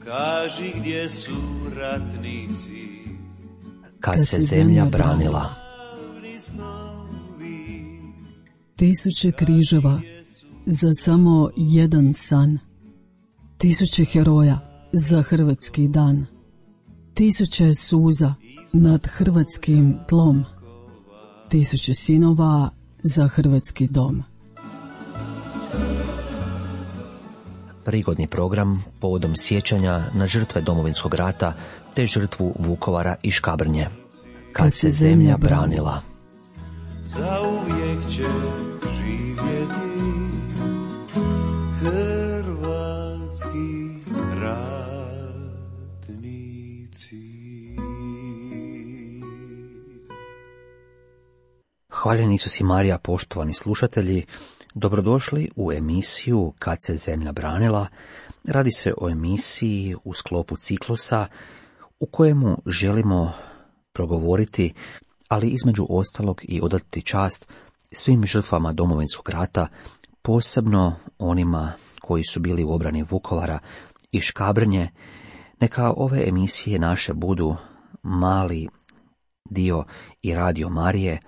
kaži gdje su ratnici, kad se zemlja branila. Tisuće križeva za samo jedan san. Tisuće heroja za hrvatski dan. Tisuće suza nad hrvatskim tlom. Tisuće sinova za hrvatski dom. Prigodni program povodom sjećanja na žrtve Domovinskog rata te žrtvu Vukovara i Škabrnje. Kad se zemlja branila. zauvijek će živjeti hrvatski ratnici. Hvaljeni Isus i Marija, poštovani slušatelji, dobrodošli u emisiju Kad se zemlja branila. Radi se o emisiji u sklopu ciklusa u kojemu želimo progovoriti, ali između ostalog i odati čast svim žrtvama Domovinskog rata, posebno onima koji su bili u obrani Vukovara i Škabrnje. Neka ove emisije naše budu mali dio i Radio Marije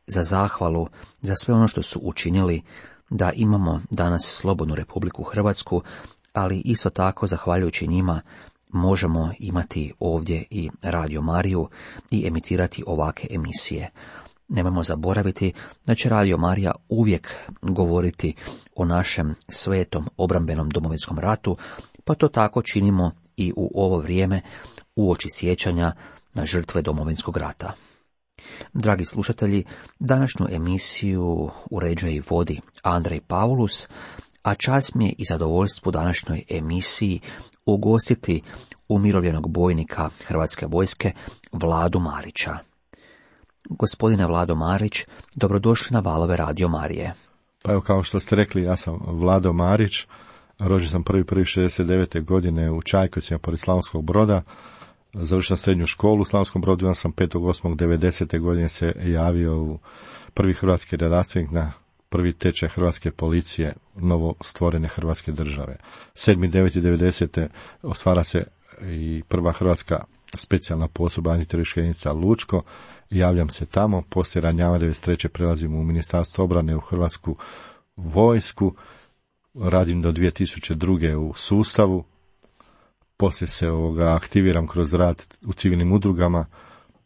za zahvalu za sve ono što su učinili da imamo danas slobodnu Republiku Hrvatsku, ali isto tako zahvaljujući njima možemo imati ovdje i Radio Mariju i emitirati ovakve emisije. Nemojmo zaboraviti da će Radio Marija uvijek govoriti o našem svetom obrambenom Domovinskom ratu, pa to tako činimo i u ovo vrijeme uoči sjećanja na žrtve Domovinskog rata. Dragi slušatelji, današnju emisiju uređuje i vodi Andrej Paulus, a čast mi je i zadovoljstvo današnjoj emisiji ugostiti umirovljenog bojnika Hrvatske vojske Vladu Marića. Gospodine Vlado Marić, dobrodošli na valove Radio Marije. Pa evo, kao što ste rekli, ja sam Vlado Marić, rođen sam 1.1.69. godine u Čajkovcima pored Slavonskog Broda. Završio sam srednju školu u Slavonskom Brodu, ja sam 5.8.90. godine se javio u prvi hrvatski redarstvenik na prvi tečaj hrvatske policije novo stvorene Hrvatske države. 7.9.90. ostvara se i prva hrvatska specijalna postrojba antiteroristička jedinica Lučko. Javljam se tamo, poslije ranjava 93. prelazim u Ministarstvo obrane u Hrvatsku vojsku, radim do 2002. u sustavu. Poslije se aktiviram kroz rad u civilnim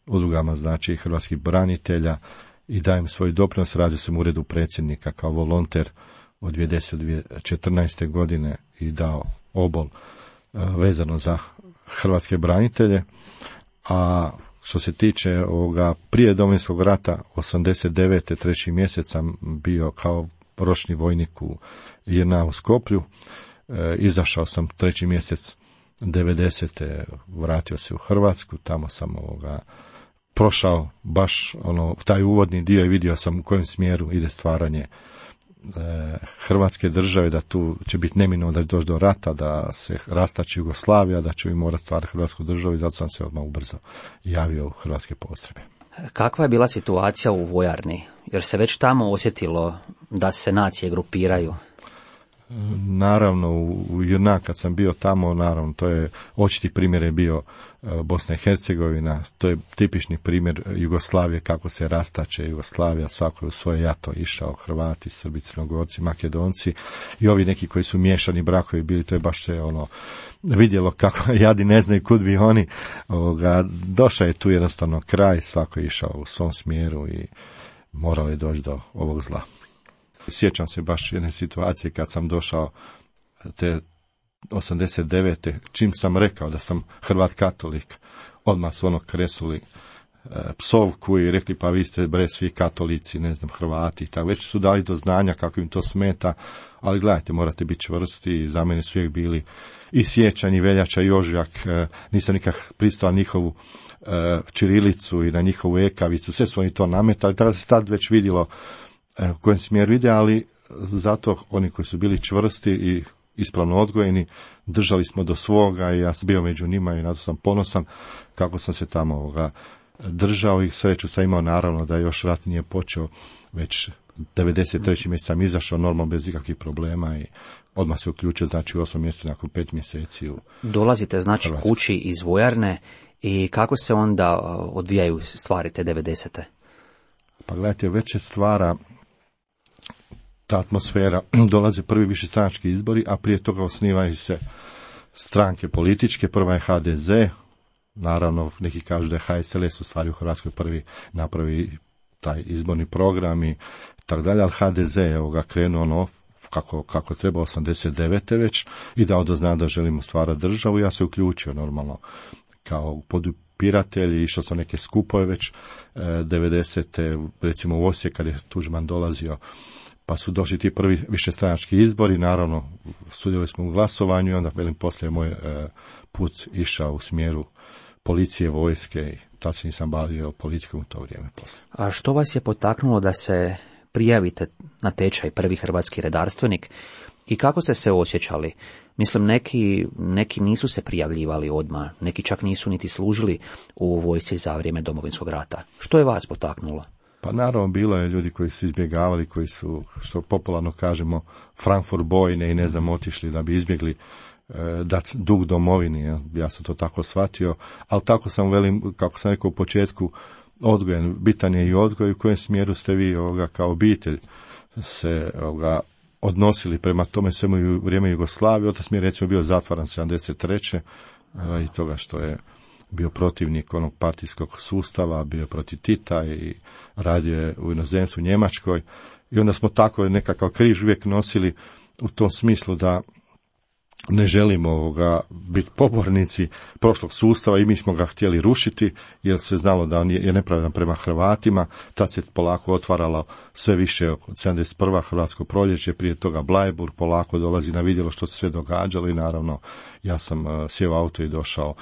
udrugama znači hrvatskih branitelja i dajem svoj doprinos. Radio sam u uredu predsjednika kao volonter od 2014. godine i dao obol vezano za hrvatske branitelje. A što se tiče prije Domovinskog rata, 89. 3. mjesec sam bio kao ročni vojnik u JNA u Skoplju. Izašao sam 3. mjesec 90. vratio se u Hrvatsku, tamo sam prošao baš taj uvodni dio i vidio sam u kojem smjeru ide stvaranje Hrvatske države, da tu će biti neminovno da će doći do rata, da se rastači Jugoslavija, da će mi morati stvarati Hrvatsku državu i zato sam se odmah ubrzo javio u hrvatske postrojbe. Kakva je bila situacija u vojarni? Jer se već tamo osjetilo da se nacije grupiraju? Naravno, u JNA kad sam bio tamo, naravno, to je očiti primjer je bio Bosna i Hercegovina, to je tipični primjer Jugoslavije, kako se rastače Jugoslavija, svako je u svoje jato išao, Hrvati, Srbi, Crnogorci, Makedonci i ovi neki koji su miješani brakovi bili, to je baš sve vidjelo kako jadi ne znaju kud bi oni, došao je tu jednostavno kraj, svako je išao u svom smjeru i moralo je doći do ovog zla. Sjećam se baš jedne situacije kad sam došao te 89. čim sam rekao da sam Hrvat katolik, odmah su kresuli psovku i rekli pa vi ste bre svi katolici, ne znam, Hrvati. Tako već su dali do znanja kako im to smeta, ali gledajte, morate biti čvrsti i za mene su uvijek bili i siječanj, i veljača, i ožujak, nisam nikak pristao njihovu ćirilicu i na njihovu ekavicu, sve su oni to nametali, tako da se tad već vidjelo u kojem smjeru ide, ali zato oni koji su bili čvrsti i ispravno odgojeni, držali smo do svoga i ja sam bio među njima i na to sam ponosan kako sam se tamo držao i sreću sam imao naravno da još rat nije počeo, već 93. mjesec sam izašao normalno bez ikakvih problema i odmah se uključio, znači u 8 mjeseca nakon 5 mjeseci u Dolazite znači Hrvatsku. kući iz vojarne i kako se onda odvijaju stvari te 90. Pa gledajte, već se stvara ta atmosfera, dolaze prvi višestranački izbori, a prije toga osnivaju se stranke političke, prva je HDZ, naravno neki kažu da je HSLS u stvari u Hrvatskoj prvi napravi taj izborni program i tako dalje, ali HDZ je krenuo kako treba 89. već i dao do znanja da želimo stvarati državu. Ja se uključio normalno kao podupiratelj, išao sam neke skupove već 90. recimo u Osijek kad je Tuđman dolazio, pa su došli ti prvi višestranački izbori, naravno sudjelovali smo u glasovanju i onda poslije moj put išao u smjeru policije, vojske i tad se nisam bavio politikom u to vrijeme poslije. A što vas je potaknulo da se prijavite na tečaj prvi hrvatski redarstvenik i kako ste se osjećali? Mislim, neki nisu se prijavljivali odmah, neki čak nisu niti služili u vojsci za vrijeme Domovinskog rata. Što je vas potaknulo? Pa naravno bilo je ljudi koji su izbjegavali, koji su, što popularno kažemo, Frankfurt bojne i ne znam, otišli da bi izbjegli dati dug domovini. Ja sam to tako shvatio, ali tako sam, kako sam rekao u početku, odgojen, bitan je i odgoj, u kojem smjeru ste vi kao obitelj se odnosili prema tome svemu u vrijeme Jugoslavije. Otac mi je recimo bio zatvaran 73. I toga što je bio protivnik onog partijskog sustava, bio protiv Tita i radio je u inozemstvu u Njemačkoj. I onda smo tako nekakav križ uvijek nosili u tom smislu da ne želimo biti pobornici prošlog sustava i mi smo ga htjeli rušiti jer se znalo da on je nepravedan prema Hrvatima. Tad se polako otvaralo sve više od 71. Hrvatsko proljeće, prije toga Bleiburg, polako dolazi na vidjelo što se sve događalo i naravno ja sam sjeo auto i došao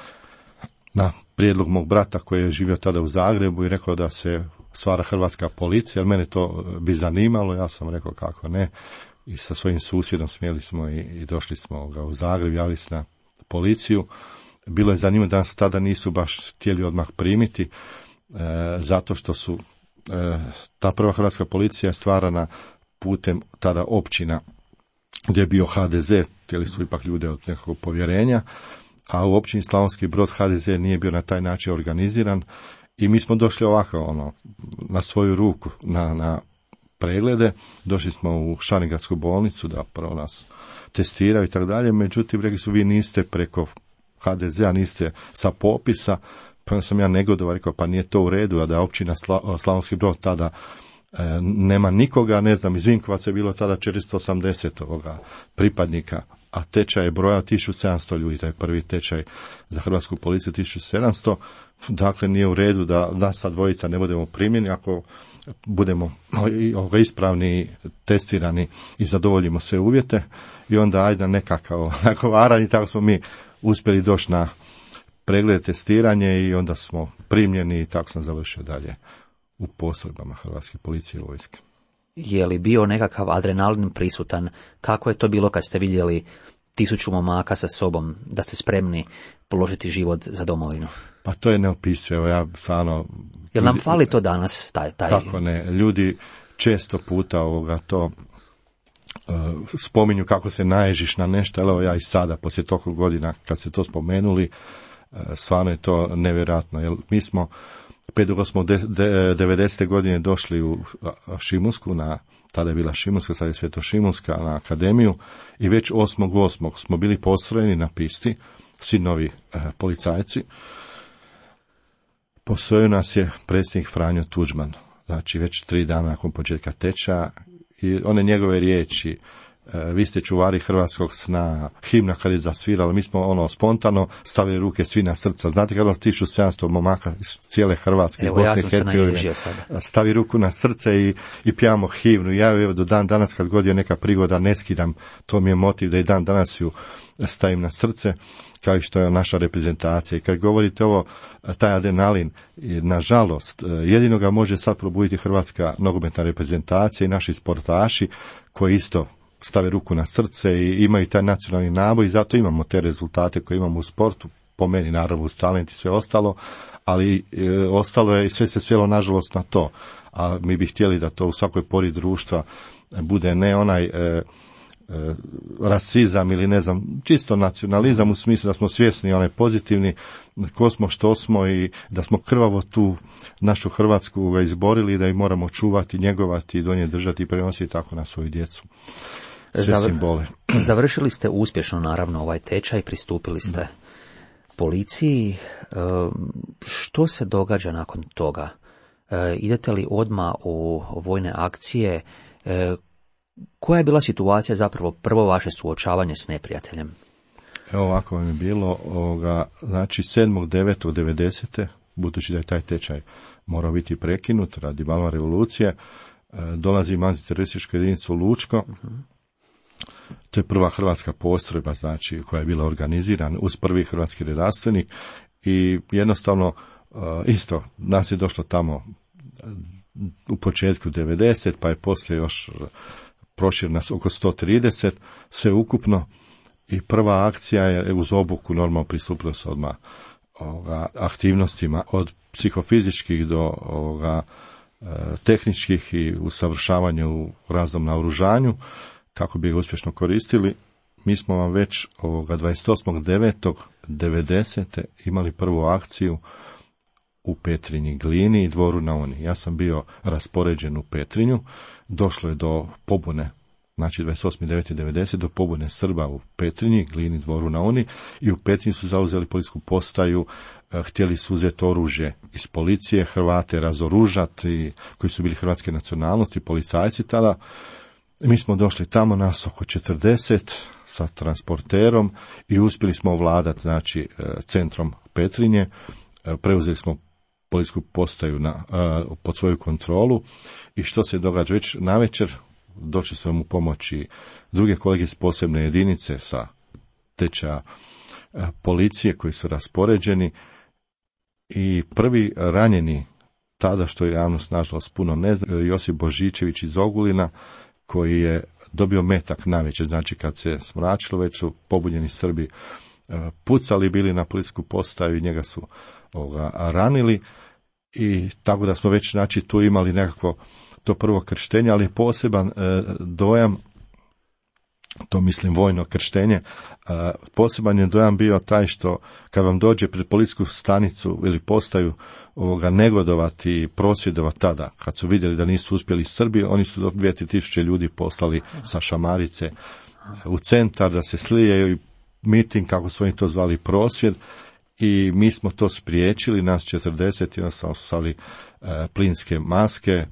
na prijedlog mog brata koji je živio tada u Zagrebu i rekao da se stvara hrvatska policija, jer mene to bi zanimalo, ja sam rekao kako ne. I sa svojim susjedom smjeli smo i došli smo u Zagreb, javili se na policiju. Bilo je zanimljivo da nas tada nisu baš htjeli odmah primiti, zato što su ta prva hrvatska policija stvarana putem tada općina gdje je bio HDZ, htjeli su ipak ljude od nekakvog povjerenja, a u općini Slavonski Brod HDZ nije bio na taj način organiziran i mi smo došli ovako na svoju ruku na preglede, došli smo u Šaringradsku bolnicu da prvo nas testiraju i tako dalje, međutim rekli su vi niste preko HDZ-a, niste sa popisa, pa sam ja negodovao, rekao pa nije to u redu, a da općina Slavonski Brod tada nema nikoga, ne znam, iz Vinkovaca je bilo tada 480 pripadnika, a tečaj je brojao 1700 ljudi, taj prvi tečaj za hrvatsku policiju 1700, dakle nije u redu da nas sa dvojica ne budemo primljeni ako budemo ispravni, testirani i zadovoljimo sve uvjete i onda ajde nekakav nagovaranje i tako smo mi uspjeli doći na pregled testiranje i onda smo primljeni i tako sam završio dalje u postrojbama Hrvatske policije i vojske. Je li bio nekakav adrenalin prisutan? Kako je to bilo kad ste vidjeli 1000 momaka sa sobom, da ste spremni položiti život za domovinu? Pa to je neopisivo, ja stvarno... Jel nam fali to danas? Taj... Kako ne, ljudi često puta to spominju kako se naježiš na nešto, ali evo ja i sada, poslije toliko godina kad ste to spomenuli, stvarno je to nevjerojatno, jer mi smo 90. godine došli u Šimunsku, tada je bila Šimunska, sad je Svetošimunska, na akademiju i već 8.8. smo bili postrojeni na pisti, svi novi policajci. Postrojio nas je predsjednik Franjo Tuđman, znači već 3 dana nakon početka tečaja i one njegove riječi, vi ste čuvari hrvatskog sna, himna kad je zasvirala, mi smo spontano stavili ruke svi na srca. Znate kad vas 1700 momaka iz cijele Hrvatske, iz Bosne i Hercegovine, stavi ruku na srce i pjevamo himnu. Ja evo do dan danas kad god je neka prigoda ne skidam, to mi je motiv da i dan danas ju stavim na srce, kao i što je naša reprezentacija. I kad govorite ovo, taj adrenalin, nažalost, jedino ga može sad probuditi hrvatska nogometna reprezentacija i naši sportaši koji isto stave ruku na srce i imaju taj nacionalni naboj i zato imamo te rezultate koje imamo u sportu. po meni naravno uz talent i sve ostalo, ali ostalo je i sve se svelo nažalost na to. A mi bi htjeli da to u svakoj pori društva bude ne onaj rasizam ili ne znam, čisto nacionalizam u smislu da smo svjesni onaj pozitivni ko smo, što smo i da smo krvavo tu našu Hrvatsku izborili i da ju moramo čuvati, njegovati, do nje držati i prenositi tako na svoju djecu. Sve simbole. Završili ste uspješno naravno ovaj tečaj, pristupili ste policiji. Što se događa nakon toga? Idete li odmah u vojne akcije? Koja je bila situacija zapravo prvo vaše suočavanje s neprijateljem? Evo ovako vam je bilo, znači 7.9.90. budući da je taj tečaj morao biti prekinut radi Balvan revolucije, dolazim u antiterorističku jedinicu Lučko. To je prva hrvatska postrojba, znači, koja je bila organizirana uz prvi hrvatski redarstvenik i jednostavno isto nas je došlo tamo u početku 90, pa je poslije još prošireno oko 130, sve ukupno, i prva akcija je uz obuku normalno pristupilo se odmah aktivnostima od psihofizičkih do tehničkih i usavršavanju u raznom naoružanju kako bi ga uspješno koristili. Mi smo vam već 28.9.90. imali prvu akciju u Petrinji, Glini i Dvoru na Uni. Ja sam bio raspoređen u Petrinju, došlo je do pobune, znači 28.9.90. do pobune Srba u Petrinji, Glini, Dvoru na Uni, i u Petrinji su zauzeli policijsku postaju, htjeli su uzeti oružje iz policije, Hrvate razoružati, koji su bili hrvatske nacionalnosti, policajci tada. Mi smo došli tamo, nas oko 40 sa transporterom i uspjeli smo ovladati, znači, centrom Petrinje. Preuzeli smo policijsku postaju pod svoju kontrolu i što se događa već navečer, došli su nam u pomoći druge kolege iz posebne jedinice sa tečaja policije koji su raspoređeni i prvi ranjeni tada, što je javnost nažalost puno ne zna, Josip Božičević iz Ogulina, koji je dobio metak navečer, znači kad se smračilo, već su pobunjeni Srbi pucali bili na policijsku postaju i njega su ranili, i tako da smo već, znači, tu imali nekako to prvo krštenje, ali poseban dojam, to mislim vojno krštenje, poseban je dojam bio taj što kad vam dođe pred policijsku stanicu ili postaju negodovati i prosvjedovati tada, kad su vidjeli da nisu uspjeli Srbi, oni su do 2-3 ljudi poslali sa šamarice u centar da se slije i miting, kako su oni to zvali, prosvjed, i mi smo to spriječili, nas 40, jednostavno su stavili plinske maske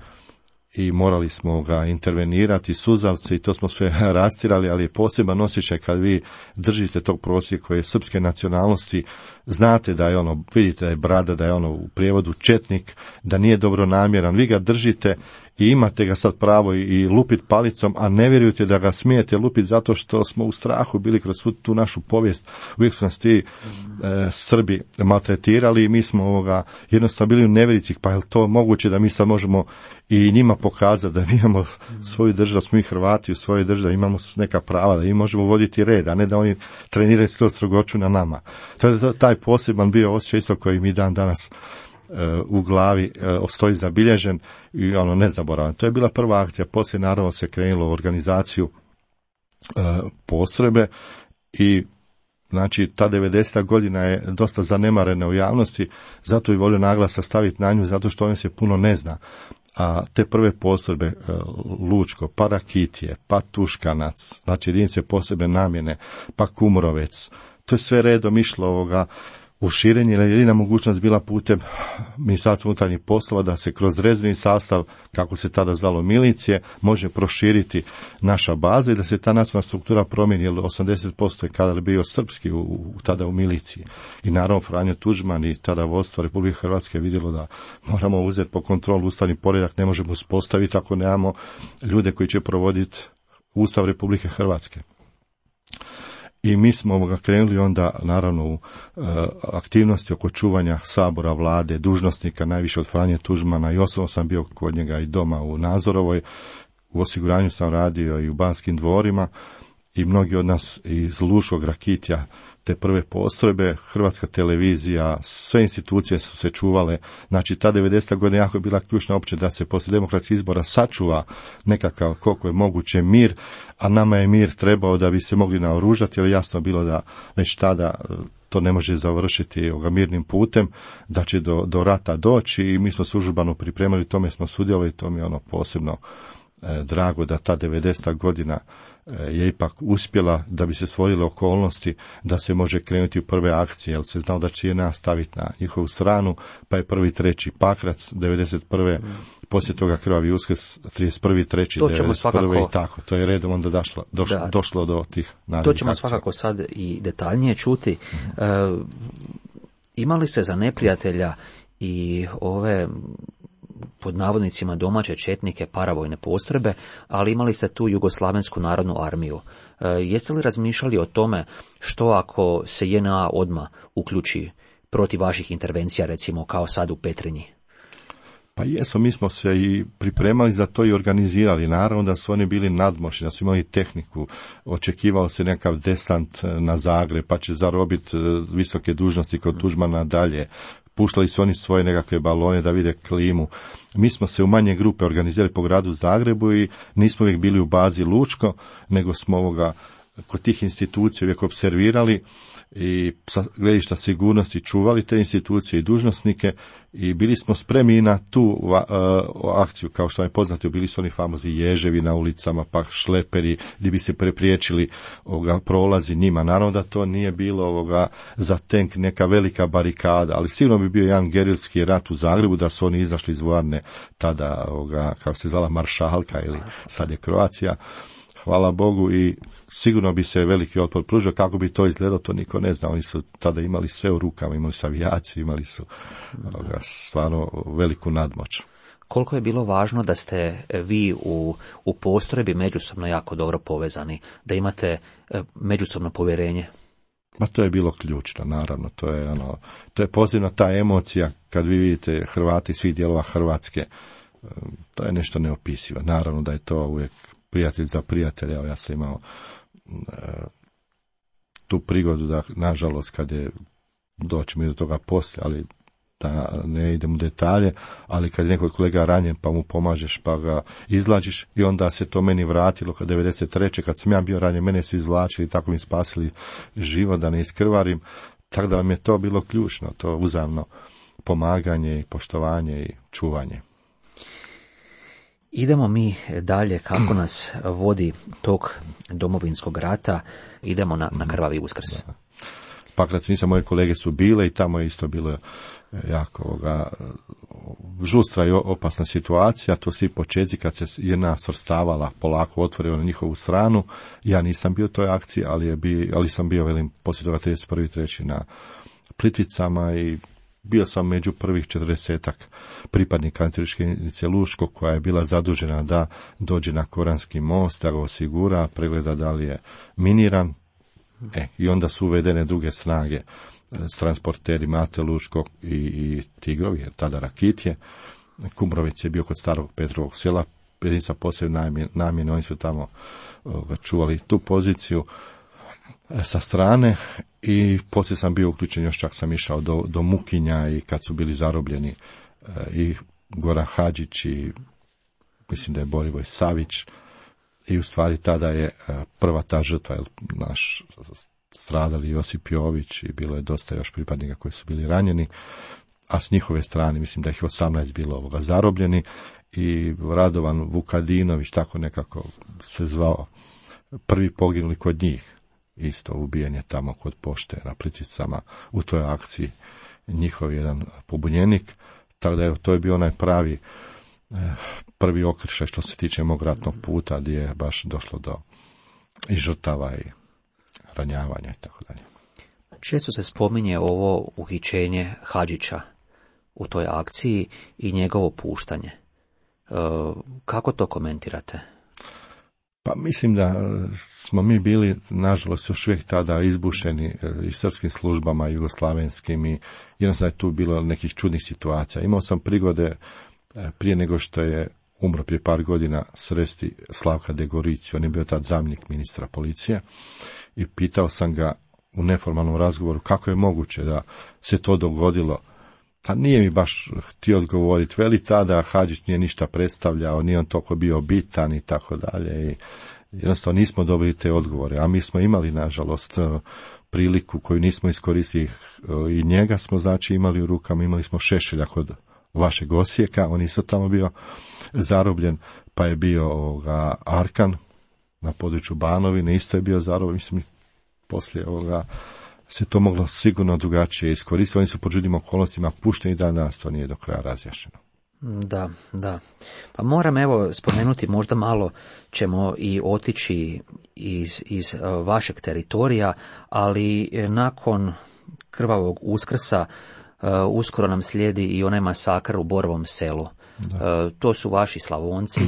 i morali smo ga intervenirati, suzavce, i to smo sve rastirali, ali je poseban osjećaj kad vi držite tog prosjeka koji je srpske nacionalnosti, znate da je vidite da je brada, da je u prijevodu četnik, da nije dobronamjeran, vi ga držite i imate ga sad pravo i lupit palicom, a ne vjerujete da ga smijete lupiti zato što smo u strahu bili kroz tu našu povijest. Uvijek su nas ti Srbi maltretirali i mi smo jednostavno bili u nevjerici, pa je to moguće da mi sad možemo i njima pokazati da mi imamo svoju državu, smo i Hrvati u svojoj državi, imamo neka prava, da mi možemo voditi red, a ne da oni treniraju strogoću na nama. Taj poseban bio osjećaj isto koji mi danas u glavi stoji zabilježen i nezaboravan. To je bila prva akcija. Poslije naravno se krenulo u organizaciju postrojbe i znači ta 90. godina je dosta zanemarena u javnosti, zato bi volio naglasak staviti na nju, zato što on se puno ne zna. A te prve postrojbe, Lučko, pa Rakitije, pa Tuškanac, znači jedinice posebne namjene, pa Kumrovec, to je sve redom išlo u širenje, jer je jedina mogućnost bila putem Ministarstva unutarnjih poslova da se kroz rezervni sastav, kako se tada zvalo milicije, može proširiti naša baza i da se ta nacionalna struktura promijeni, jer 80% je kadar bio srpski tada u miliciji. I naravno Franjo Tuđman i tada vodstvo Republike Hrvatske je vidjelo da moramo uzeti po kontrolu ustavni poredak, ne možemo uspostaviti ako nemamo ljude koji će provoditi Ustav Republike Hrvatske. I mi smo krenuli onda naravno u aktivnosti oko čuvanja sabora, vlade, dužnosnika, najviše od Franje Tuđmana, i osobno sam bio kod njega i doma u Nazorovoj, u osiguranju sam radio i u Banskim dvorima, i mnogi od nas iz Luškog, Rakitja, te prve postrojbe, Hrvatska televizija, sve institucije su se čuvale. Znači, ta 90. godina jako je bila ključna opće da se poslije demokratskih izbora sačuva nekakav, koliko je moguće, mir, a nama je mir trebao da bi se mogli naoružati, jer jasno bilo da već tada to ne može završiti mirnim putem, da će do rata doći i mi smo se užurbano pripremili, tome smo sudjelovali, to mi je posebno drago da ta 90. godina je ipak uspjela da bi se stvorile okolnosti da se može krenuti u prve akcije, jer se znao da će JNA staviti na njihovu stranu, pa je 1.3. Pakrac 91. Poslije toga Krvavi Uskrs 31.3.91. i tako. To je redom onda došlo do tih narednih akcija. To ćemo svakako sad i detaljnije čuti. Imali ste za neprijatelja i ove pod navodnicima domaće četnike, paravojne postrojbe, ali imali ste tu Jugoslavensku narodnu armiju. Jeste li razmišljali o tome što ako se JNA odmah uključi protiv vaših intervencija, recimo kao sad u Petrinji? Pa jesmo, mi smo se i pripremali za to i organizirali. Naravno da su oni bili nadmoćni, da su imali tehniku, očekivao se nekakav desant na Zagreb, pa će zarobiti visoke dužnosti kod Tuđmana dalje. Puštali su oni svoje nekakve balone da vide klimu. Mi smo se u manje grupe organizirali po gradu Zagrebu i nismo uvijek bili u bazi Lučko, nego smo kod tih institucija uvijek observirali i sa gledišta sigurnosti čuvali te institucije i dužnosnike i bili smo spremni na tu akciju, kao što vam je poznato, bili su oni famozni ježevi na ulicama, pa šleperi, gdje bi se prepriječili prolazi njima. Naravno da to nije bilo za tenk neka velika barikada, ali sigurno bi bio jedan gerilski rat u Zagrebu da su oni izašli iz vojarne tada, kako se zvala, Maršalka ili sad je Kroacija. Hvala Bogu, i sigurno bi se veliki otpor pružio. Kako bi to izgledalo, to niko ne zna. Oni su tada imali sve u rukama, imali su avijaciju, imali su stvarno veliku nadmoć. Koliko je bilo važno da ste vi u postrojbi međusobno jako dobro povezani, da imate međusobno povjerenje? Ma to je bilo ključno, naravno. To je posebno ta emocija kad vi vidite Hrvati svih dijelova Hrvatske. To je nešto neopisivo. Naravno da je to uvijek prijatelj za prijatelja. Ja sam imao tu prigodu da, nažalost, kad je, doćemo i do toga poslije, ali da ne idem u detalje, ali kad je neko od kolega ranjen pa mu pomažeš pa ga izlačiš, i onda se to meni vratilo kad 93. kad sam ja bio ranjen, mene su izvlačili i tako mi spasili život da ne iskrvarim, tako da vam je to bilo ključno, to uzajamno pomaganje i poštovanje i čuvanje. Idemo mi dalje, kako nas vodi tok Domovinskog rata, idemo na Krvavi Uskrs. Pakrac, nisam, moje kolege su bile i tamo je isto bilo jako žustra i opasna situacija. To svi početci kad se jedna svrstavala polako otvorila na njihovu stranu. Ja nisam bio u toj akciji, ali sam bio, velim, poslije toga 31.3. na Plitvicama i bio sam među prvih 40-ak pripadnika antiterorističke jedinice Luško, koja je bila zadužena da dođe na Koranski most, da ga osigura, pregleda da li je miniran. I onda su uvedene druge snage s transporteri Mate Lučko i Tigrovi, tada Rakitje. Kumrovec je bio kod starog Petrovog sela, jedinica posebne namjene, oni su tamo čuvali tu poziciju sa strane, i poslije sam bio uključen, još čak sam išao do Mukinja, i kad su bili zarobljeni i Goran Hadžić i mislim da je Borivoj Savić, i u stvari tada je prva ta žrtva, naš stradali Josip Jović, i bilo je dosta još pripadnika koji su bili ranjeni, a s njihove strane mislim da ih 18 bilo zarobljeni, i Radovan Vukadinović, tako nekako se zvao, prvi poginuli kod njih, isto ubijen je tamo kod pošte na Plitvicama u toj akciji, njihov jedan pobunjenik, tako da to je bio onaj prvi okršaj što se tiče mog ratnog puta, gdje je baš došlo do i žrtava i ranjavanja i tako dalje. Često se spominje ovo uhićenje Hadžića u toj akciji i njegovo puštanje. Kako to komentirate? Pa mislim da smo mi bili, nažalost, još uvijek tada izbušeni i srpskim službama, jugoslavenskim, i jednostavno je tu bilo nekih čudnih situacija. Imao sam prigode prije nego što je umro prije par godina, sresti Slavka Degoriciju, on je bio tad zamjenik ministra policije, i pitao sam ga u neformalnom razgovoru kako je moguće da se to dogodilo. Pa nije mi baš htio odgovoriti, veli tada Hadžić nije ništa predstavljao, nije on toliko bio bitan i tako dalje, i jednostavno nismo dobili te odgovore, a mi smo imali nažalost priliku koju nismo iskoristili, i njega smo znači imali u rukama, imali smo Šešelja kod vašeg Osijeka, on isto tamo bio zarobljen, pa je bio Arkan na području Banovine, isto je bio zarobljen, mislim, poslije se to moglo sigurno drugačije iskoristiti, oni su po čudnim okolnostima pušteni, danas to nije do kraja razjašnjeno. Da. Pa moram spomenuti, možda malo ćemo i otići iz vašeg teritorija, ali nakon krvavog Uskrsa uskoro nam slijedi i onaj masakr u Borovom Selu. To su vaši Slavonci.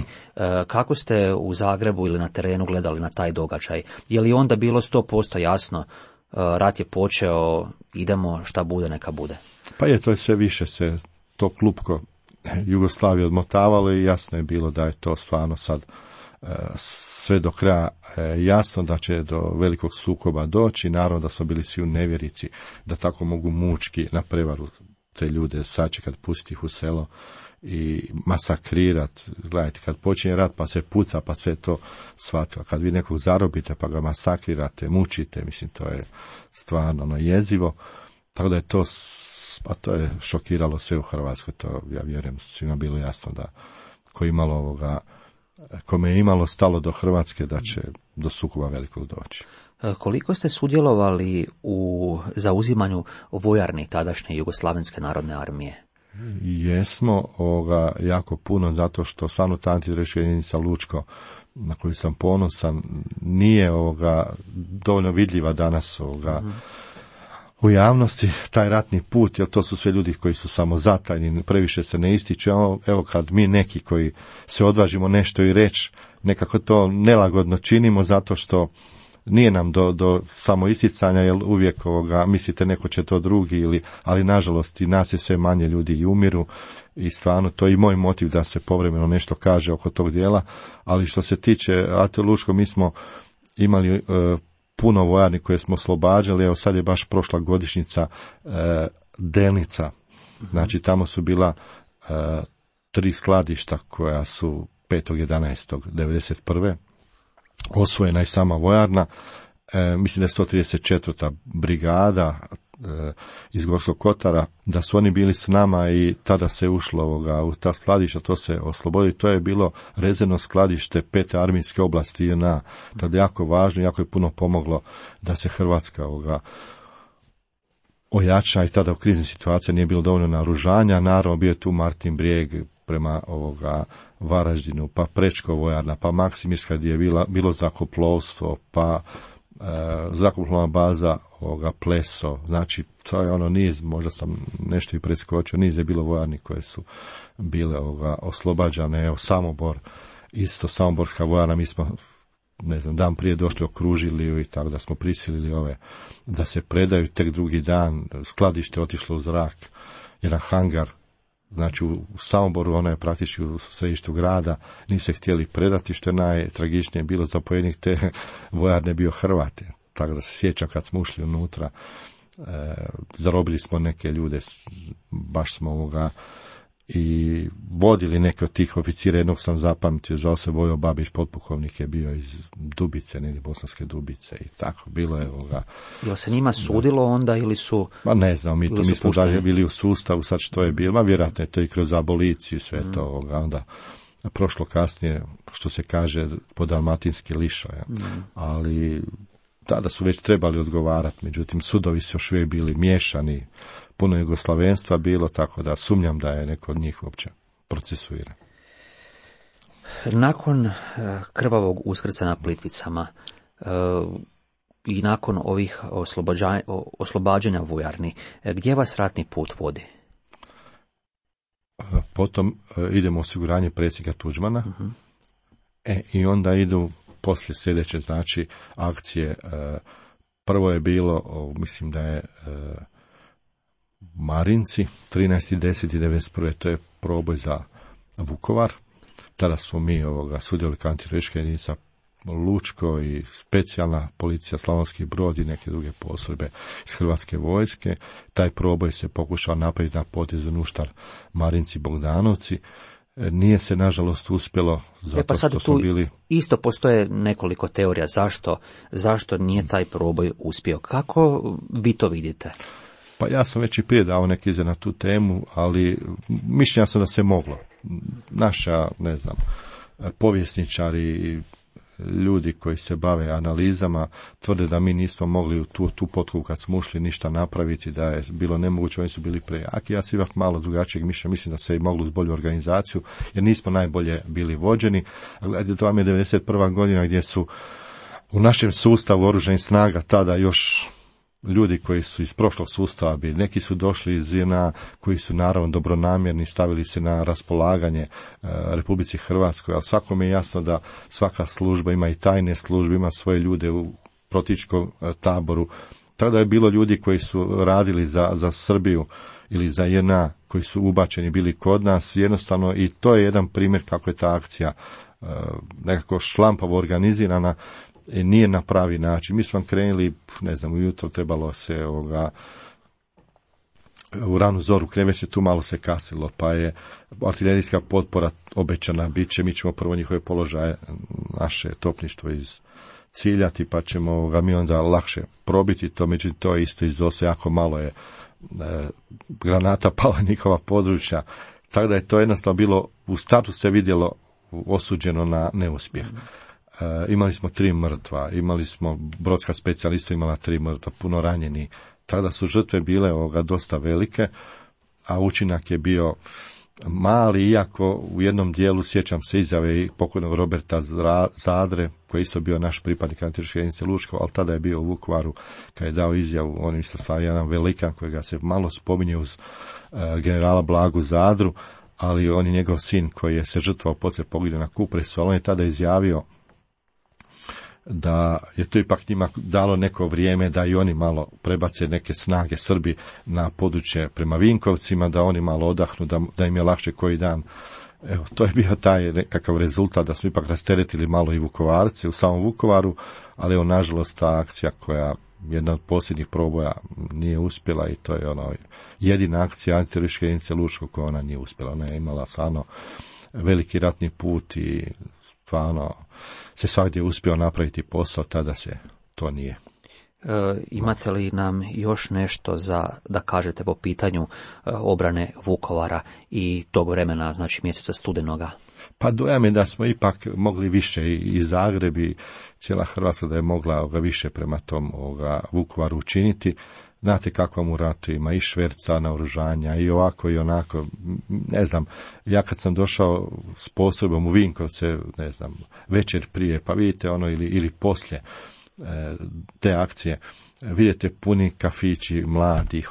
Kako ste u Zagrebu ili na terenu gledali na taj događaj? Je li onda bilo 100% jasno, rat je počeo, idemo, šta bude neka bude? Pa to je sve više se to klupko Jugoslavije odmotavalo i jasno je bilo da je to stvarno sad sve do kraja jasno da će do velikog sukoba doći. Naravno da su bili svi u nevjerici da tako mogu mučki na prevaru te ljude sačekat, pustiti ih u selo i masakrirat. Gledajte, kad počinje rat pa se puca, pa sve to shvatilo. Kad vi nekog zarobite pa ga masakrirate, mučite, mislim, to je stvarno jezivo. Tako da je to, pa to je šokiralo sve u Hrvatskoj, to ja vjerujem svima bilo jasno da kome je imalo stalo do Hrvatske da će do sukoba velikog doći. Koliko ste sudjelovali u zauzimanju vojarni tadašnje Jugoslavenske narodne armije? Jesmo jako puno, zato što stvarno ta antiteroristička jedinica Lučko, na koju sam ponosan, nije dovoljno vidljiva danas u javnosti, taj ratni put, jer to su sve ljudi koji su samo zatajni, previše se ne ističe. Evo kad mi neki koji se odvažimo nešto i reći, nekako to nelagodno činimo, zato što nije nam do samo isticanja, jer uvijek mislite neko će to drugi, ali nažalost i nas je sve manje, ljudi i umiru, i stvarno to je i moj motiv da se povremeno nešto kaže oko tog dijela. Ali što se tiče AT Lučko, mi smo imali puno vojarni koje smo oslobađali. Evo sad je baš prošla godišnjica Delnica. Znači tamo su bila 3 skladišta koja su 5.11.1991. osvojena i sama vojarna. Mislim da je 134. brigada iz Gorskog Kotara, da su oni bili s nama i tada se ušlo u ta skladišta, to se oslobodilo. To je bilo rezervno skladište 5. armijske oblasti JNA. Tada je jako važno, jako je puno pomoglo da se Hrvatska ojača, i tada u kriznim situacijama nije bilo dovoljno naoružanja. Naravno bio je tu Martin Brijeg prema Varaždinu, pa Prečko vojarna, pa Maksimirska gdje je bilo zrakoplovstvo, pa zrakoplovna baza Pleso. Znači to je niz, možda sam nešto i preskočio, niz je bilo vojarni koje su bile oslobađane. Evo Samobor, isto Samoborska vojarna, mi smo dan prije došli, okružili i tako da smo prisilili da se predaju. Tek drugi dan skladište otišlo u zrak, jedan hangar, znači u Samoboru, ona je praktički u središtu grada, nisu se htjeli predati, što je najtragičnije bilo, zapovjednik te vojarne bio Hrvat. Tako da se sjećam kad smo ušli unutra, zarobili smo neke ljude, baš smo i vodili neke od tih oficira. Jednog sam zapamtio, zvao se Vojo Babić, potpukovnik je bio iz Dubice, negdje Bosanske Dubice, i tako, bilo je Jel se njima sudilo onda ili su... Ma ne znam, mi smo dalje bili u sustavu, sad što je bilo, vjerojatno je to i kroz aboliciju, sve to, onda prošlo kasnije, što se kaže, po dalmatinski lišo, ali tada su već trebali odgovarati, međutim sudovi su još uvijek bili miješani, puno jugoslavenstva bilo, tako da sumnjam da je neko od njih uopće procesuiran. Nakon krvavog Uskrsa na Plitvicama i nakon ovih oslobađanja vojarni, gdje vas ratni put vodi? Potom idemo osiguranje predsjednika Tuđmana, i onda idu poslije sljedeće, znači, akcije. Prvo je bilo, mislim da je Marinci, 13.10.1991. to je proboj za Vukovar. Tada smo mi sudjelovali kao antiteroristička jedinica Lučko i specijalna policija Slavonski Brod i neke druge postrojbe iz Hrvatske vojske. Taj proboj se pokušao napraviti na potezu Nuštar, Marinci, Bogdanovci. Nije se nažalost uspjelo, zato što smo bili... Isto postoje nekoliko teorija zašto nije taj proboj uspio. Kako vi to vidite? Pa ja sam već i prije dao neke izjave na tu temu, ali mišljenja sam da se moglo. Naša, povjesničari, ljudi koji se bave analizama tvrde da mi nismo mogli u tu potku kad smo ušli ništa napraviti, da je bilo nemoguće, oni su bili prejaki. Ja sam ipak malo drugačijeg mišljenja, mislim da se i moglo uz bolju organizaciju, jer nismo najbolje bili vođeni. Gledajte, to vam je 91. godina gdje su u našem sustavu oružanih snaga tada još ljudi koji su iz prošlog sustava bili, neki su došli iz JNA koji su naravno dobronamjerni, stavili se na raspolaganje Republici Hrvatskoj, ali svakome je jasno da svaka služba ima i tajne službe, ima svoje ljude u protivničkom taboru. Tada je bilo ljudi koji su radili za Srbiju ili za JNA, koji su ubačeni bili kod nas, jednostavno, i to je jedan primjer kako je ta akcija nekako šlampavo organizirana, nije na pravi način. Mi smo krenuli, ujutro trebalo se u ranu zoru krenuti, tu malo se kasilo, pa je artiljerijska potpora obećana bit će, mi ćemo prvo njihove položaje, naše topništvo ciljati, pa ćemo mi onda lakše probiti to, međutim to je isto izose, jako malo je granata pala njihova područja, tako da je to jednostavno bilo, u startu se vidjelo osuđeno na neuspjeh. Imali smo 3 mrtva, imali smo brodska specijalista imala 3 mrtva, puno ranjeni. Tada su žrtve bile dosta velike, a učinak je bio mali, iako u jednom dijelu sjećam se izjave i pokojnog Roberta Zadre, koji je isto bio naš pripadnik antiterorističke jedinice Lučko, ali tada je bio u Vukovaru kad je dao izjavu, on je stvarno jedan velikan kojega se malo spominje uz generala Blagu Zadru, ali on je njegov sin koji je se žrtvao poslije poginuo na Kupresu, ali on je tada izjavio da je to ipak njima dalo neko vrijeme da i oni malo prebace neke snage Srbi na područje prema Vinkovcima, da oni malo odahnu, da im je lakše koji dan. Evo, to je bio taj nekakav rezultat, da smo ipak rasteretili malo i Vukovarce u samom Vukovaru, ali evo, nažalost, ta akcija koja jedna od posljednjih proboja nije uspjela i to je jedina akcija antiterorističke jedinice Lučko koja ona nije uspjela. Ona je imala stvarno veliki ratni put i stvarno se svakdje uspio napraviti posao, tada se to nije. Imate li nam još nešto da kažete po pitanju obrane Vukovara i tog vremena, znači mjeseca studenoga? Pa dojam je da smo ipak mogli više i Zagreb i cijela Hrvatska da je mogla više prema tom Vukovaru učiniti. Znate kako mu ratu ima i šverca naoružanja i ovako i onako, ja kad sam došao s postrojbom u Vinkovce, večer prije, pa vidite ili poslije te akcije, vidite puni kafići, mladih,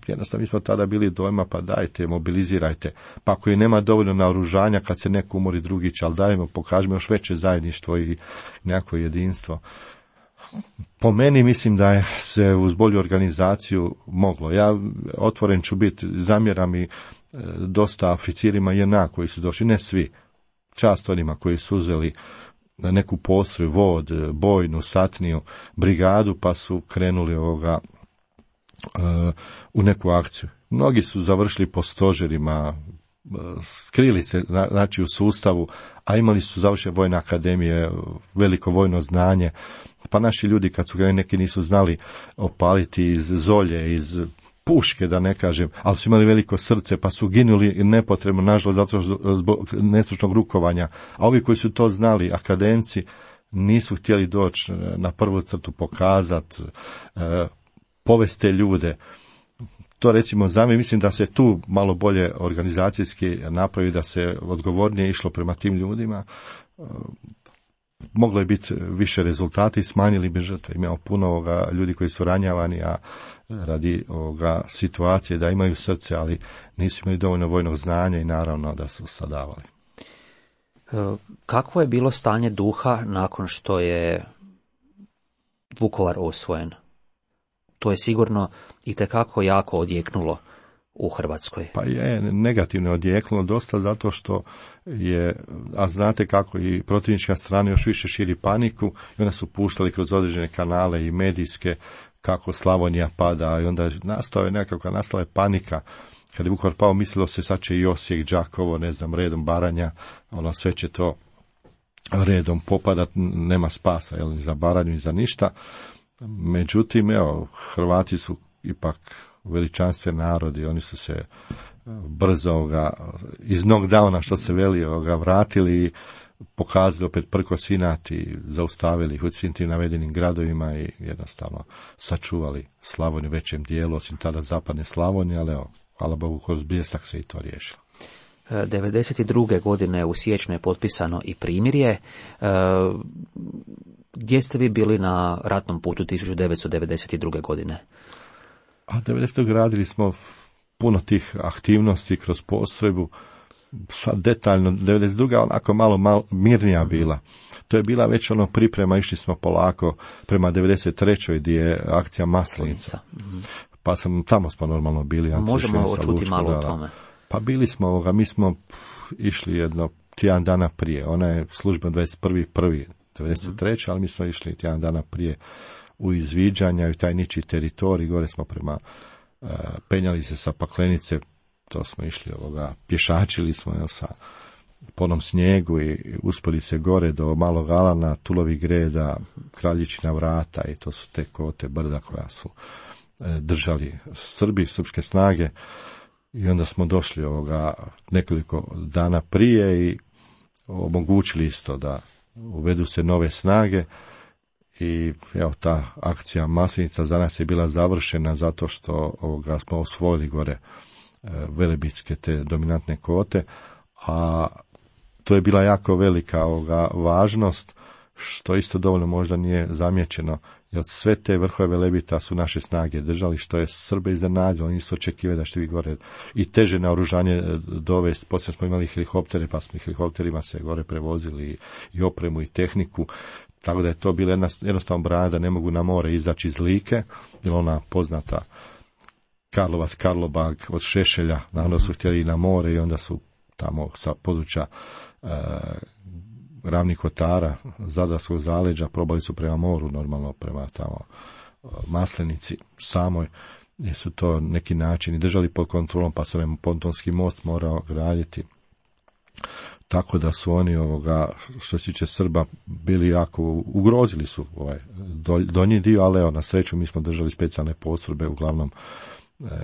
jednostavno mi smo tada bili dojma, pa dajte, mobilizirajte, pa ako i nema dovoljno naoružanja, kad se neko umori drugi će, ali dajmo, pokažemo još veće zajedništvo i nekako jedinstvo. Po meni mislim da je se uz bolju organizaciju moglo. Ja otvoren ću biti, zamjeram i dosta oficirima JNA koji su došli, ne svi, čast onima koji su uzeli neku postroj, vod, bojnu, satniju, brigadu, pa su krenuli u neku akciju. Mnogi su završili po stožerima, skrili se znači u sustavu, a imali su završene vojne akademije, veliko vojno znanje, pa naši ljudi kad su ga neki nisu znali opaliti iz zolje, iz puške da ne kažem, ali su imali veliko srce pa su ginuli nepotrebno, nažalost zato zbog nestručnog rukovanja, a ovi koji su to znali, akademci, nisu htjeli doći na prvu crtu, pokazati, povesti te ljude. To recimo mislim da se tu malo bolje organizacijski napravi, da se odgovornije išlo prema tim ljudima. Moglo je biti više rezultata i smanjili bi žrtve. Imamo puno ljudi koji su ranjavani, a radi situacije da imaju srce, ali nisu imali dovoljno vojnog znanja i naravno da su sadavali. Kakvo je bilo stanje duha nakon što je Vukovar osvojen? To je sigurno itekako jako odjeknulo u Hrvatskoj? Pa je negativno odjeknulo dosta zato što je, a znate kako i protivnička strana još više širi paniku i onda su puštali kroz određene kanale i medijske kako Slavonija pada i onda je nastala je panika. Kad je Vukovar pao, mislilo se sad će i Osijek, Đakovo, ne znam, redom Baranja, sve će to redom popadat, nema spasa, ni za Baranju ni za ništa. Međutim, Hrvati su ipak veličanstven narod i oni su se brzo iz knockdowna, što se veli, vratili i pokazali opet prkos inat i zaustavili ih u svim tim navedenim gradovima i jednostavno sačuvali Slavoniju u većem dijelu, osim tada zapadne Slavonije, ali hvala Bogu, kroz bljesak se i to riješilo. 1992. godine u siječnju je potpisano i primirje. Gdje ste vi bili na ratnom putu 1992. godine? A 90. radili smo puno tih aktivnosti kroz postrojbu. Sad detaljno, 92. onako malo mirnija bila. To je bila već priprema, išli smo polako prema 93. gdje je akcija Maslenica. Pa tamo smo normalno bili. Možemo čuti malo o tome. Pa bili smo, mi smo išli tjedan dana prije. Ona je službeno 21.1.93. ali mi smo išli tjedan dana prije u izviđanja i taj ničiji teritorij. Gore smo penjali se sa Paklenice, to smo išli pješačili smo sa ponom snijegu i uspjeli se gore do Malog Alana, Tulovih Greda, Kraljičina vrata i to su te kote brda koja su držali srpske snage i onda smo došli nekoliko dana prije i omogućili isto da uvedu se nove snage i ta akcija Maslenica za nas je bila završena zato što smo osvojili gore velebitske te dominantne kote, a to je bila jako velika važnost, što isto dovoljno možda nije zamijećeno, jer sve te vrhove Velebita su naše snage držali, što je Srbe iznenadilo, oni su očekivali da ćete vi gore i teže naoružanje dovesti. Poslije smo imali helikoptere, pa smo helikopterima se gore prevozili i opremu i tehniku, tako da je to bila jednostavno brana da ne mogu na more izaći iz Like, jer ona poznata Karlovac, Karlobag od Šešelja, naravno su htjeli i na more i onda su tamo sa područja Ravnih Kotara, Zadarskog zaleđa, probali su prema moru, normalno prema tamo Maslenici samoj, gdje su to neki načini držali pod kontrolom, pa se pontonski most morao graditi. Tako da su oni što se tiče Srba bili jako, ugrozili su donji dio, ali na sreću mi smo držali specijalne postrojbe, uglavnom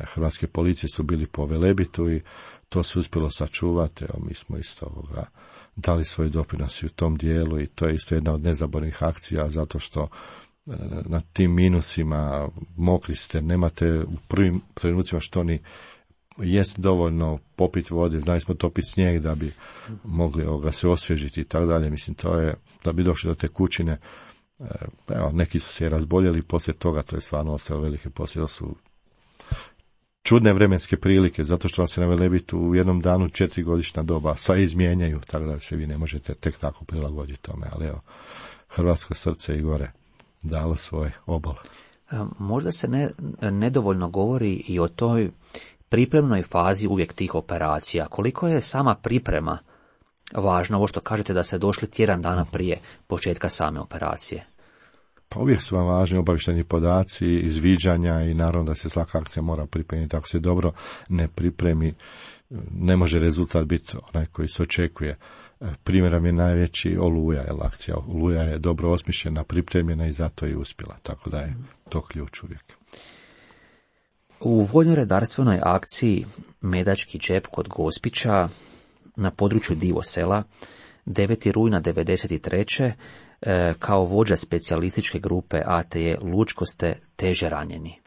hrvatske policije su bili po Velebitu i to se uspjelo sačuvati. Mi smo isto dali svoj doprinos u tom dijelu i to je isto jedna od nezaboravnih akcija, zato što na tim minusima mokri ste, nemate u prvim trenucima što ni jest dovoljno popiti vode, znali smo topiti snijeg da bi mogli se osvježiti i tako dalje. Mislim, to je, da bi došli do te kućine, neki su se razboljeli poslije toga, to je stvarno ostalo velike posljedice, su čudne vremenske prilike, zato što vam se na Velebitu u jednom danu 4 godišnja doba sva izmijenjaju, tako da se vi ne možete tek tako prilagoditi tome, ali hrvatsko srce i gore dalo svoj obol. Možda se nedovoljno govori i o toj pripremnoj fazi uvijek tih operacija. Koliko je sama priprema važna, ovo što kažete da ste došli tjedan dana prije početka same operacije? Pa uvijek su vam važni obavještajni podaci, izviđanja i naravno da se svaka akcija mora pripremiti. Ako se dobro ne pripremi, ne može rezultat biti onaj koji se očekuje. Primjerom je najveći Oluja, jer akcija Oluja je dobro osmišljena, pripremljena i zato je uspjela. Tako da je to ključ uvijek. U vojno-redarstvenoj akciji Medački džep kod Gospića na području Divosela 9. rujna 1993. Kao vođa specijalističke grupe ATE Lučko ste teže ranjeni.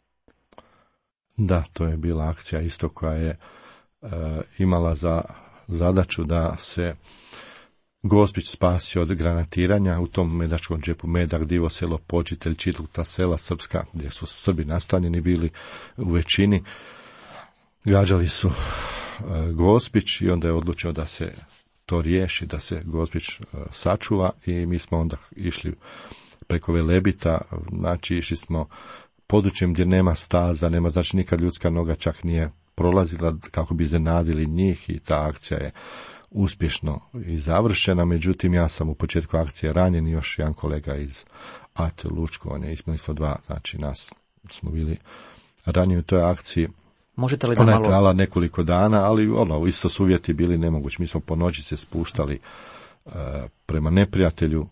Da, to je bila akcija isto koja je imala za zadaću da se Gospić spasi od granatiranja. U tom Medačkom džepu Medak, Divoselo, Počitelj, Čitluta sela srpska, gdje su Srbi nastanjeni bili u većini, gađali su Gospić i onda je odlučeno da se to riješi, da se Gospić sačuva i mi smo onda išli preko Velebita, znači išli smo područjem gdje nema staza, nema, znači nikad ljudska noga čak nije prolazila kako bi iznenadili njih i ta akcija je uspješno i završena. Međutim, ja sam u početku akcije ranjen i još jedan kolega iz AT Lučko, on je imali smo 2, znači nas smo bili ranjeni u toj akciji. Možete li da Ona je malo... trajala nekoliko dana, ali isto su uvjeti bili nemogući. Mi smo po noći se spuštali prema neprijatelju.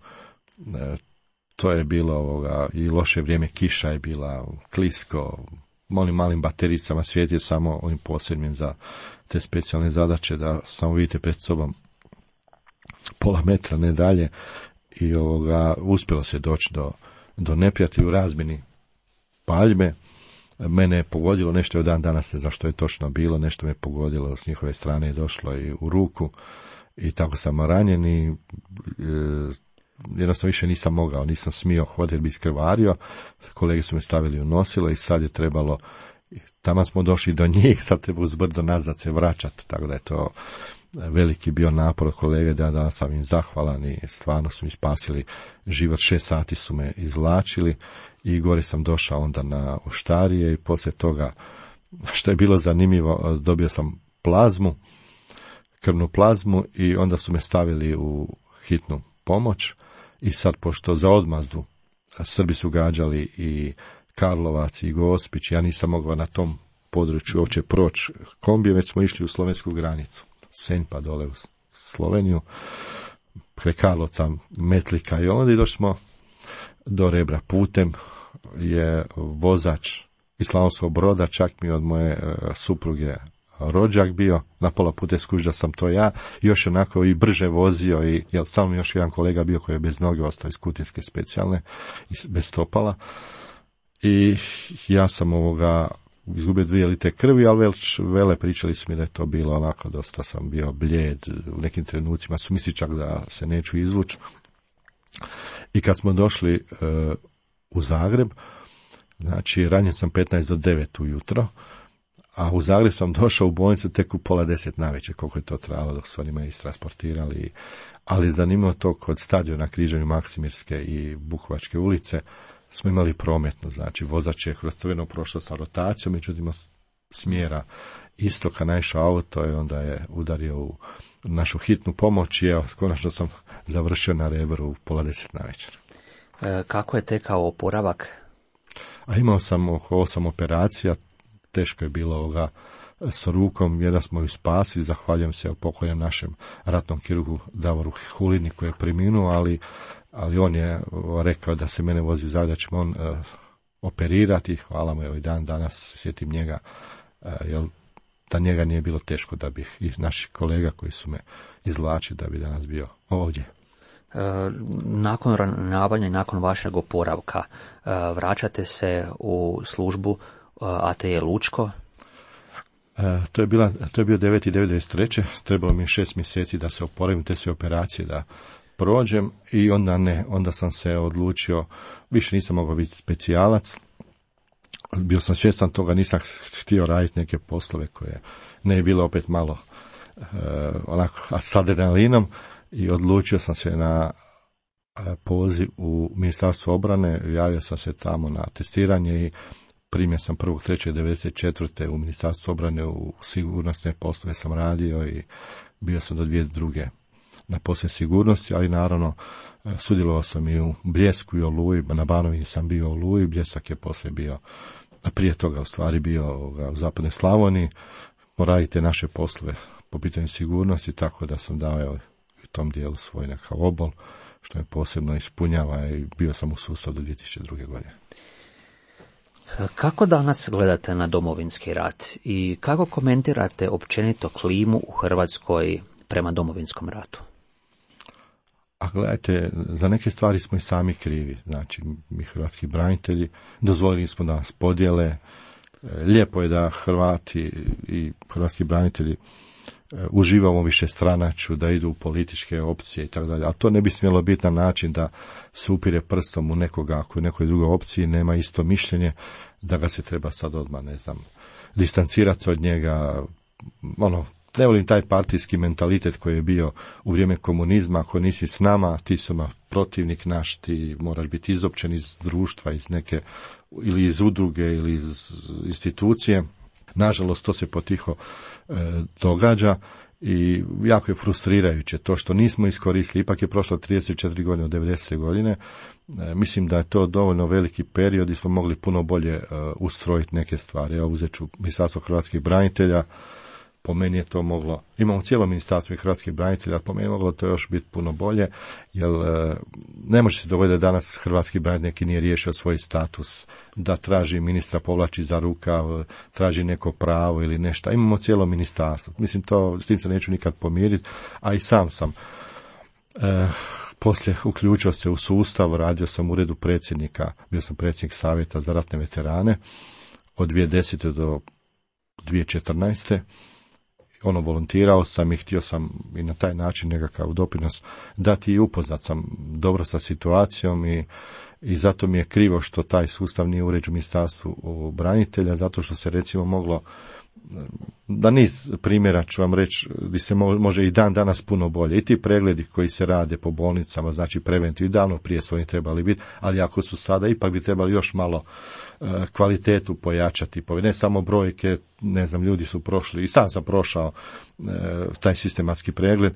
To je bilo i loše vrijeme, kiša je bila, klisko, onim malim batericama, svijet je samo ovim posebnim za te specijalne zadaće da samo vidite pred sobom pola metra, ne dalje, i uspjelo se doći do neprijatelja u razmjeni paljbe. Mene je pogodilo, nešto je dan danas, ne znam što je točno bilo, nešto me je pogodilo, s njihove strane je došlo i u ruku i tako sam ranjen i jednostavno više nisam mogao, nisam smio hoditi jer bi iskrvario, kolege su me stavili u nosilo i sad je trebalo, tamo smo došli do njih, sad treba uz brdo nazad se vraćati, tako da je to veliki bio napor od kolege, da danas sam im zahvalan i stvarno su mi spasili život, 6 sati su me izvlačili i gore sam došao onda na Oštarije i poslije toga, što je bilo zanimljivo, dobio sam plazmu, krvnu plazmu i onda su me stavili u hitnu pomoć i sad pošto za odmazdu Srbi su gađali i Karlovac i Gospić, ja nisam mogao na tom području uopće proći kombijem, već smo išli u slovensku granicu, Senj pa dole u Sloveniju, kraj Karlovca, Metlika i onda došli smo do Rebra. Putem je vozač iz Slavonskog Broda, čak mi od moje supruge rođak bio, na pola puta skuži da sam to ja, još onako i brže vozio i stalno još jedan kolega bio koji je bez noge ostao iz Kutinske specijalne, bez stopala i ja sam izgubio 2 litre krvi, ali vele pričali su mi da je to bilo onako, dosta sam bio blijed, u nekim trenucima su misli čak da se neću izvući. I kad smo došli u Zagreb, znači ranjen sam 15 do 9 ujutro, a u Zagreb sam došao u bolnicu tek u 9:30 navečer, koliko je to trajalo dok su oni me istransportirali. Ali zanimljivo to, kod stadiona križanju Maksimirske i Bukovačke ulice smo imali prometno, znači vozač je kroz crveno prošlo sa rotacijom, međutim smjera istoka naišao auto i onda je udario u našu hitnu pomoć i evo, konačno sam završio na Rebru u 9:30 navečer. Kako je tekao oporavak? A imao sam oko 8 operacija, teško je bilo s rukom, jedan smo ju spasili, zahvaljujem se pokojnom našem ratnom kirurgu Davoru Hulini koji je preminuo, ali on je rekao da se mene vozi Zagreb, da ćemo on operirati, hvala mu, evo i dan danas sjetim njega, jer da njega nije bilo teško da bih i naših kolega koji su me izvlačili da bi danas bio ovdje. Nakon ranjavanja i nakon vašeg oporavka vraćate se u službu ATE Lučko? To je bio 9.9.93. Trebalo mi 6 mjeseci da se oporavim, te sve operacije da prođem i onda sam se odlučio, više nisam mogao biti specijalac, bio sam svjestan toga, nisam htio raditi neke poslove koje ne je bilo opet malo onako s adrenalinom i odlučio sam se na poziv u Ministarstvo obrane, javio sam se tamo na testiranje i primio sam 1.3.1994. u Ministarstvu obrane u sigurnosne poslove sam radio i bio sam do 2002. na poslove sigurnosti, ali naravno sudjelovao sam i u Bljesku i Oluji, na Banovini sam bio u Oluji, Bljesak je poslije bio, a prije toga u stvari bio u Zapadnoj Slavoniji, radite naše poslove po pitanju sigurnosti, tako da sam dao u tom dijelu svoj nekakav obol, što me posebno ispunjava i bio sam u sustavu do 2002. godine. Kako danas gledate na Domovinski rat i kako komentirate općenito klimu u Hrvatskoj prema Domovinskom ratu? A gledajte, za neke stvari smo i sami krivi. Znači, mi hrvatski branitelji dozvolili smo da nas podijele. Lijepo je da Hrvati i hrvatski branitelji uživamo više stranaču, da idu u političke opcije i tako dalje. A to ne bi smjelo biti na način da se upire prstom u nekoga, ako u nekoj drugoj opciji nema isto mišljenje, da ga se treba sad odmah, distancirati od njega. Ne volim taj partijski mentalitet koji je bio u vrijeme komunizma, ako nisi s nama, ti su protivnik naš, ti moraš biti izopćen iz društva, iz neke, ili iz udruge, ili iz institucije. Nažalost, to se potiho događa i jako je frustrirajuće to što nismo iskoristili. Ipak je prošlo 34 godine od 90. godine. Mislim da je to dovoljno veliki period i smo mogli puno bolje ustrojiti neke stvari. Evo, uzet ću Ministarstvo hrvatskih branitelja. Po meni je to moglo, imamo cijelo ministarstvo i hrvatskih branitelja, po meni je moglo to još biti puno bolje, jer ne može se dogoditi da danas hrvatski branitelj neki nije riješio svoj status, da traži ministra, povlači za rukav, traži neko pravo ili nešto. Imamo cijelo ministarstvo. Mislim, s tim se neću nikad pomiriti, a i sam sam poslije uključio se u sustav, radio sam u uredu predsjednika, bio sam predsjednik savjeta za ratne veterane od 2010. do 2014. Volontirao sam i htio sam i na taj način nekakav doprinos dati i upoznat sam dobro sa situacijom i zato mi je krivo što taj sustav nije uređen u Ministarstvu branitelja, zato što se recimo moglo, da niz primjera ću vam reći, gdje se može i dan danas puno bolje. I ti pregledi koji se rade po bolnicama, znači preventivni, davno prije su oni trebali biti, ali ako su sada, ipak bi trebali još malo kvalitetu pojačati. Ne samo brojke, ne znam, ljudi su prošli, i sam sam prošao taj sistematski pregled,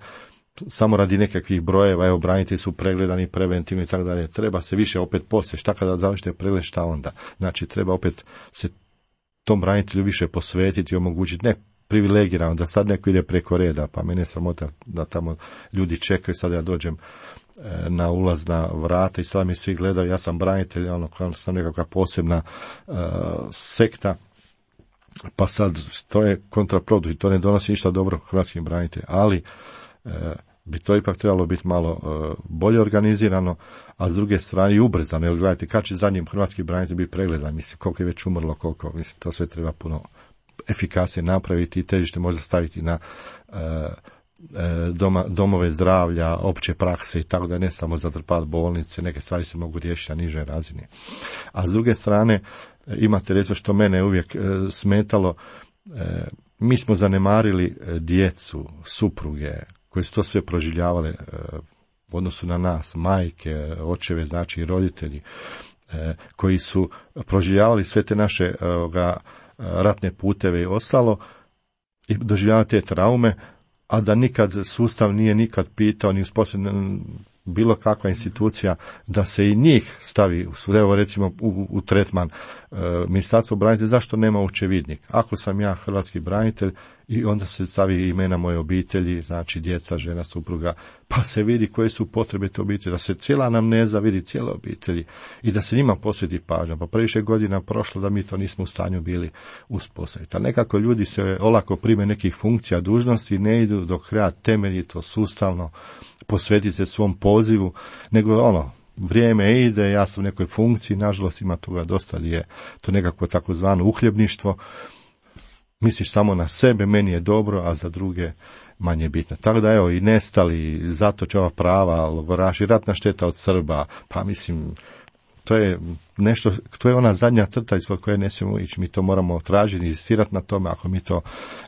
samo radi nekakvih brojeva, evo, branitelji su pregledani preventivno i tako dalje. Treba se više opet poslije, šta kada završite pregled, šta onda? Znači, treba opet se tom branitelju više posvetiti i omogućiti, ne privilegirano, da sad neko ide preko reda, pa mene je sramota da tamo ljudi čekaju, sad ja dođem na ulazna vrata i sad mi svi gledaju, ja sam branitelj, sam nekakva posebna sekta, pa sad to je kontraproduktivno i to ne donosi ništa dobro hrvatskim braniteljima, ali bi to ipak trebalo biti malo bolje organizirano, a s druge strane i ubrzano, jer gledajte, kad će zadnjim hrvatski branitelj biti pregledan, mislim, koliko je već umrlo, koliko, mislim, to sve treba puno efikasnije napraviti i težište možda staviti na domove zdravlja, opće prakse i tako da ne samo zatrpati bolnice, neke stvari se mogu riješiti na nižoj razini. A s druge strane, imate recimo što mene uvijek smetalo, mi smo zanemarili djecu, supruge, koje su to sve proživljavale u odnosu na nas, majke, očeve, znači i roditelji, koji su proživljavali sve te naše ratne puteve i ostalo i doživljavali te traume, a da nikad sustav nije nikad pitao ni uspostavljen bilo kakva institucija da se i njih stavi, evo recimo u tretman Ministarstvo branitelja, zašto nema očevidnik? Ako sam ja hrvatski branitelj i onda se stavi imena moje obitelji, znači djeca, žena, supruga, pa se vidi koje su potrebe te obitelji, da se cijela anamneza vidi, cijele obitelji i da se njima posveti pažnja. Pa previše godina prošlo da mi to nismo u stanju bili uspostaviti. A nekako ljudi se olako prime nekih funkcija, dužnosti, ne idu do kraja temeljito, sustavno, posvetiti se svom pozivu, nego vrijeme ide, ja sam u nekoj funkciji, nažalost ima toga dosta, je to nekako takozvano uhljebništvo, misliš samo na sebe, meni je dobro, a za druge manje bitno. Tako da evo i nestali, zatočava prava, logoraši, ratna šteta od Srba, pa mislim, to je nešto, to je ona zadnja crta ispod koje ne smijemo ići, mi to moramo tražiti, inzistirati na tome, ako mi to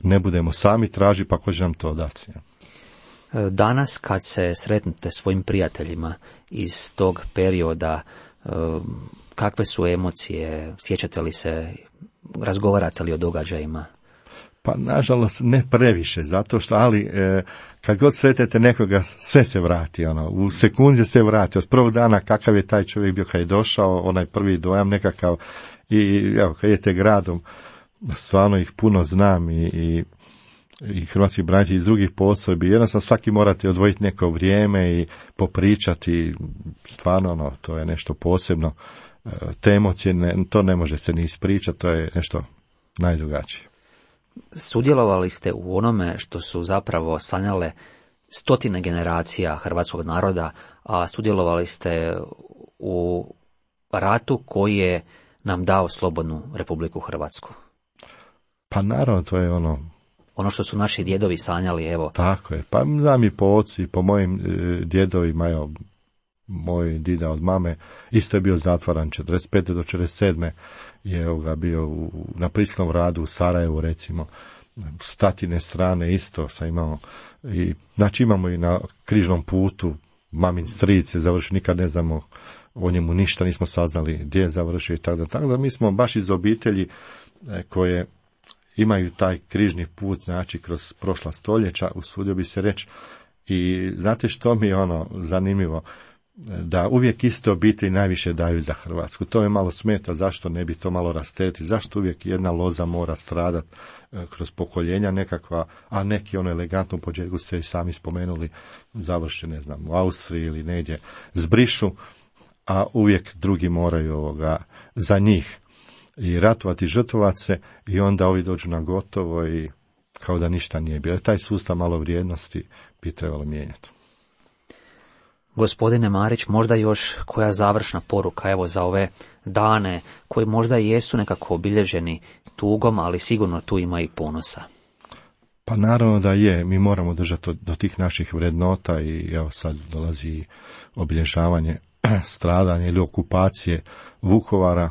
ne budemo sami tražiti, pa ko će nam to dati. Danas kad se sretnete svojim prijateljima iz tog perioda, kakve su emocije, sjećate li se, razgovarate li o događajima? Pa nažalost ne previše, zato što, ali kad god sretete nekoga, sve se vrati, u sekundi se vrati, od prvog dana kakav je taj čovjek bio kad je došao, onaj prvi dojam nekakav, i evo, kad idete gradom, stvarno ih puno znam i hrvatski branitelji iz drugih postrojbi, jednostavno svaki morate odvojiti neko vrijeme i popričati, stvarno to je nešto posebno, te emocije, to ne može se ni ispričati, to je nešto najdrugačije. Sudjelovali ste u onome što su zapravo sanjale stotine generacija hrvatskog naroda, a sudjelovali ste u ratu koji je nam dao slobodnu Republiku Hrvatsku. Pa naravno, to je ono što su naši djedovi sanjali, evo. Tako je, pa znam i po ocu i po mojim djedovima, evo, moj dida od mame, isto je bio zatvaran 45. do 47. je bio na prisilnom radu u Sarajevu, recimo, s tatine strane isto sam imao, i, znači imamo i na križnom putu, mamin stric je završio, nikad ne znamo o njemu ništa, nismo saznali gdje je završio i tako da mi smo baš iz obitelji koje imaju taj križni put, znači kroz prošla stoljeća, usudio bi se reći. I znate što mi je zanimljivo? Da uvijek iste obitelji najviše daju za Hrvatsku. To me malo smeta, zašto ne bi to malo rasteretiti, zašto uvijek jedna loza mora stradati kroz pokoljenja nekakva, a neki elegantno u početku ste i sami spomenuli, završe, ne znam, u Austriji ili negdje zbrišu, a uvijek drugi moraju za njih i ratovati, žrtvovati se, i onda ovi dođu na gotovo i kao da ništa nije bilo. Taj sustav malo vrijednosti bi trebalo mijenjati. Gospodine Marić, možda još koja završna poruka evo za ove dane koji možda i jesu nekako obilježeni tugom, ali sigurno tu ima i ponosa. Pa naravno da je, mi moramo držati do tih naših vrednota i evo sad dolazi obilježavanje stradanja ili okupacije Vukovara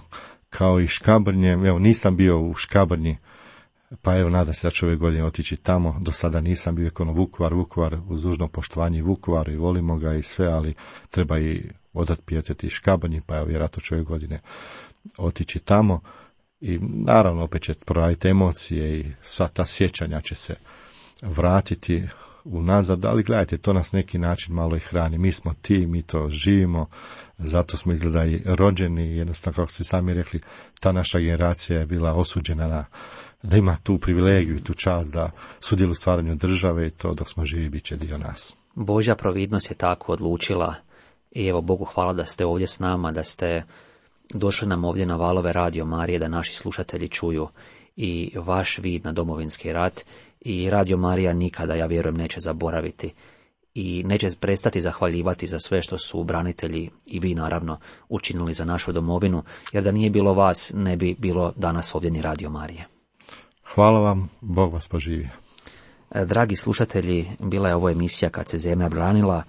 kao i Škabrnje. Evo nisam bio u Škabrnji, pa evo nadam se da ću ove godine otići tamo. Do sada nisam bio Vukovar uz dužno poštovanje Vukovaru i volimo ga i sve, ali treba i odat pijetet i Škabrnji, pa evo vjerojatno ću ove godine otići tamo. I naravno opet će proraditi emocije i sva ta sjećanja će se vratiti unazad, ali gledajte, to nas neki način malo i hrani. Mi smo mi to živimo, zato smo izgleda i rođeni, jednostavno kako ste sami rekli, ta naša generacija je bila osuđena da ima tu privilegiju i tu čast da sudjeluje u stvaranju države, i to dok smo živi bit će dio nas. Božja providnost je tako odlučila i evo Bogu hvala da ste ovdje s nama, da ste došli nam ovdje na valove Radio Marije, da naši slušatelji čuju i vaš vid na Domovinski rat, i Radio Marija nikada, ja vjerujem, neće zaboraviti i neće prestati zahvaljivati za sve što su branitelji i vi naravno učinili za našu domovinu, jer da nije bilo vas ne bi bilo danas ovdje ni Radio Marije. Hvala vam, Bog vas poživi. Dragi slušatelji, bila je ovo emisija Kad se zemlja branila.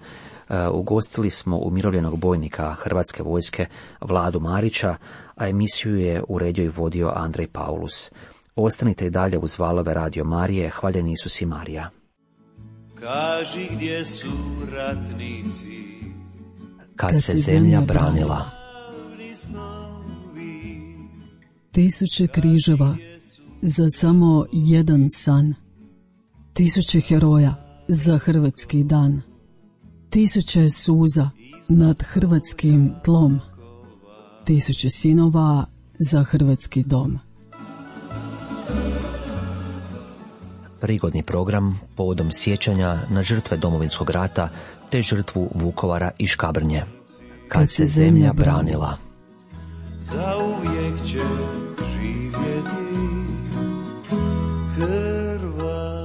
Ugostili smo umirovljenog bojnika Hrvatske vojske Vladu Marića, a emisiju je uredio i vodio Andrej Paulus. Ostanite i dalje uz valove Radio Marije. Hvaljeni Isus i Marija. Kaži gdje su ratnici, kad se zemlja branila. Tisuće križeva za samo jedan san. Tisuće heroja za hrvatski dan. Tisuće suza nad hrvatskim tlom. Tisuće sinova za hrvatski dom. Prigodni program povodom sjećanja na žrtve Domovinskog rata te žrtvu Vukovara i Škabrnje. Kad se zemlja branila. zauvijek će živjeti hrvatski